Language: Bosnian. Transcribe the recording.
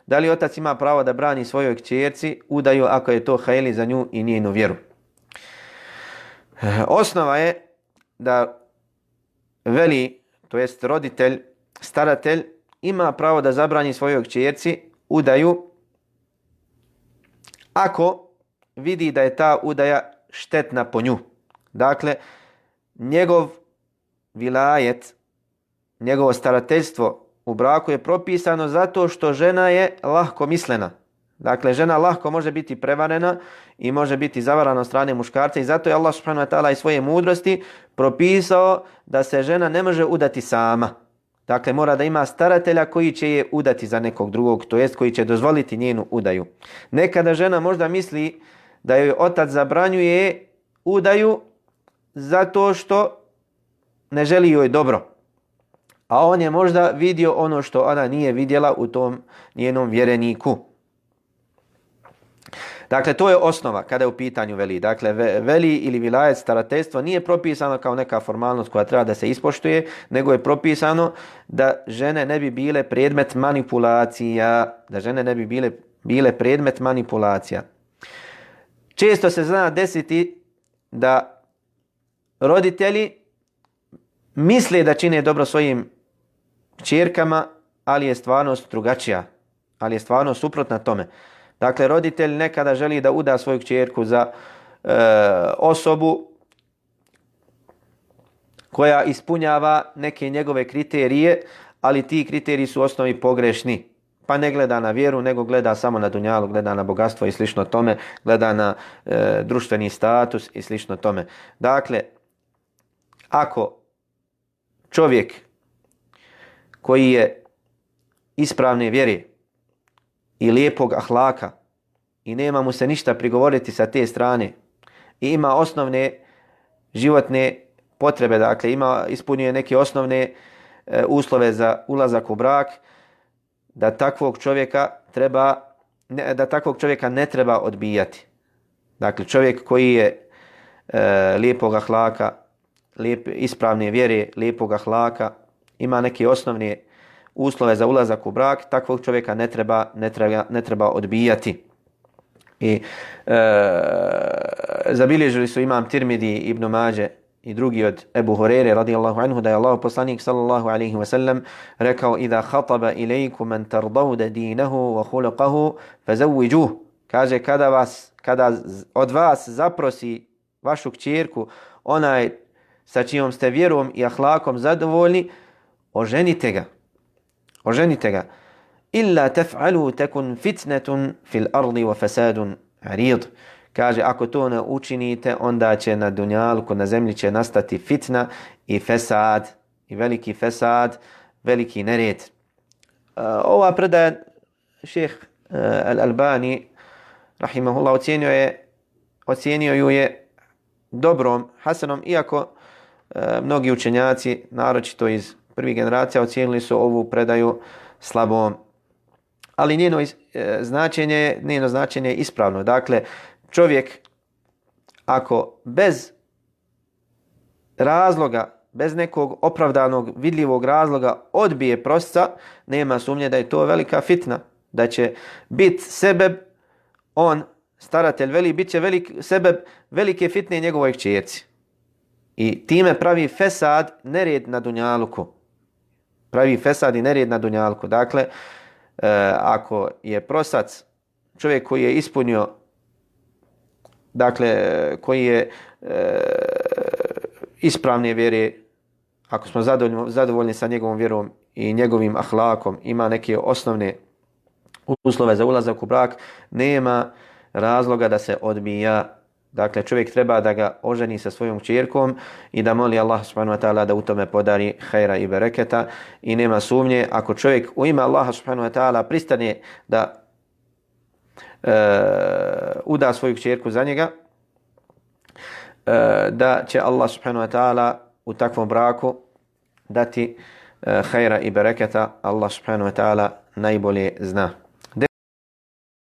Da li otac ima pravo da brani svojoj kćerci udaju ako je to hajli za nju i njenu vjeru? Osnova je da veli, to jest roditelj, staratelj, ima pravo da zabrani svojoj kćerci udaju ako vidi da je ta udaja štetna po nju. Dakle, njegov vilajet, njegovo starateljstvo u braku je propisano zato što žena je lahko mislena. Dakle, žena lahko može biti prevarena i može biti zavarana od strane muškarca i zato je Allah subhanahu wa ta'ala iz svoje mudrosti propisao da se žena ne može udati sama. Dakle, mora da ima staratelja koji će je udati za nekog drugog, to jest koji će dozvoliti njenu udaju. Nekada žena možda misli da joj otac zabranjuje udaju zato što ne želi joj dobro. A on je možda vidio ono što ona nije vidjela u tom njenom vjereniku. Dakle, to je osnova kada je u pitanju veli. Dakle, veli ili vilajet, starateljstvo nije propisano kao neka formalnost koja treba da se ispoštuje, nego je propisano da žene ne bi bile predmet manipulacija. Da žene ne bi bile predmet manipulacija. Često se zna desiti da roditelji misle da čine dobro svojim kćerkama, ali je stvarnost drugačija. Ali je stvarnost suprotna tome. Dakle, roditelj nekada želi da uda svoju kćerku za osobu koja ispunjava neke njegove kriterije, ali ti kriteriji su u osnovi pogrešni. Pa ne gleda na vjeru, nego gleda samo na dunjalu, gleda na bogatstvo i slično tome, gleda na društveni status i slično tome. Dakle, ako čovjek koji je ispravne vjere i lijepog ahlaka i nema mu se ništa prigovoriti sa te strane i ima osnovne životne potrebe, dakle ispunjuje neke osnovne uslove za ulazak u brak, da takvog čovjeka ne treba odbijati. Dakle, čovjek koji je lijepog ahlaka, ispravne vjere, lijepog ahlaka, ima neke osnovne uslove za ulazak u brak, takvog čovjeka ne treba odbijati. I zabilježili su imam Tirmidi, Ibn Mađe i drugi od Ebu Hurere radijallahu anhu da je Allah poslanik sallallahu alaihi wasallam rekao: "Iza khataba ilaykum man tardawna dinahu wa khuluquhu fazawwijuh." Kaže, kada od vas zaprosi vašu kćerku onaj sa čijom ste vjerom i ahlakom zadovoljni, oženite ga. Oženite ga. Illa taf'alu takun fitnatun fil ardi wa fasadun arid. Kaže, ako to ne učinite, onda će na dunjalku, na zemlji će nastati fitna i fesad, i veliki fesad, veliki nered. Ova predaja šejh Al-Albani rahimahullah ocenio ju je dobrom, hasanom, iako mnogi učenjaci, naročito iz prvih generacija, ocijenili su ovu predaju slabom. Ali njeno značenje je ispravno. Dakle, čovjek ako bez razloga, bez nekog opravdanog, vidljivog razloga odbije prosca, nema sumnje da je to velika fitna. Da će biti sebeb, on, staratelj veli, bit će sebeb velike fitne njegovoj kćerci. I time pravi fesad, nered na dunjaluku. Pravi fesad i nered na dunjaluku. Dakle, ako je prosac čovjek koji je ispunio, dakle, koji je ispravne vjere, ako smo zadovoljni sa njegovom vjerom i njegovim ahlakom, ima neke osnovne uslove za ulazak u brak, nema razloga da se odbija. Dakle, čovjek treba da ga oženi sa svojom kćerkom i da moli Allah subhanahu wa ta'ala da u tome podari hajra i bereketa. I nema sumnje, ako čovjek u ime Allaha subhanahu wa ta'ala pristane da uda svoju kćerku za njega, da će Allah subhanahu wa ta'ala u takvom braku dati hajra i bereketa. Allah subhanahu wa ta'ala najbolje zna.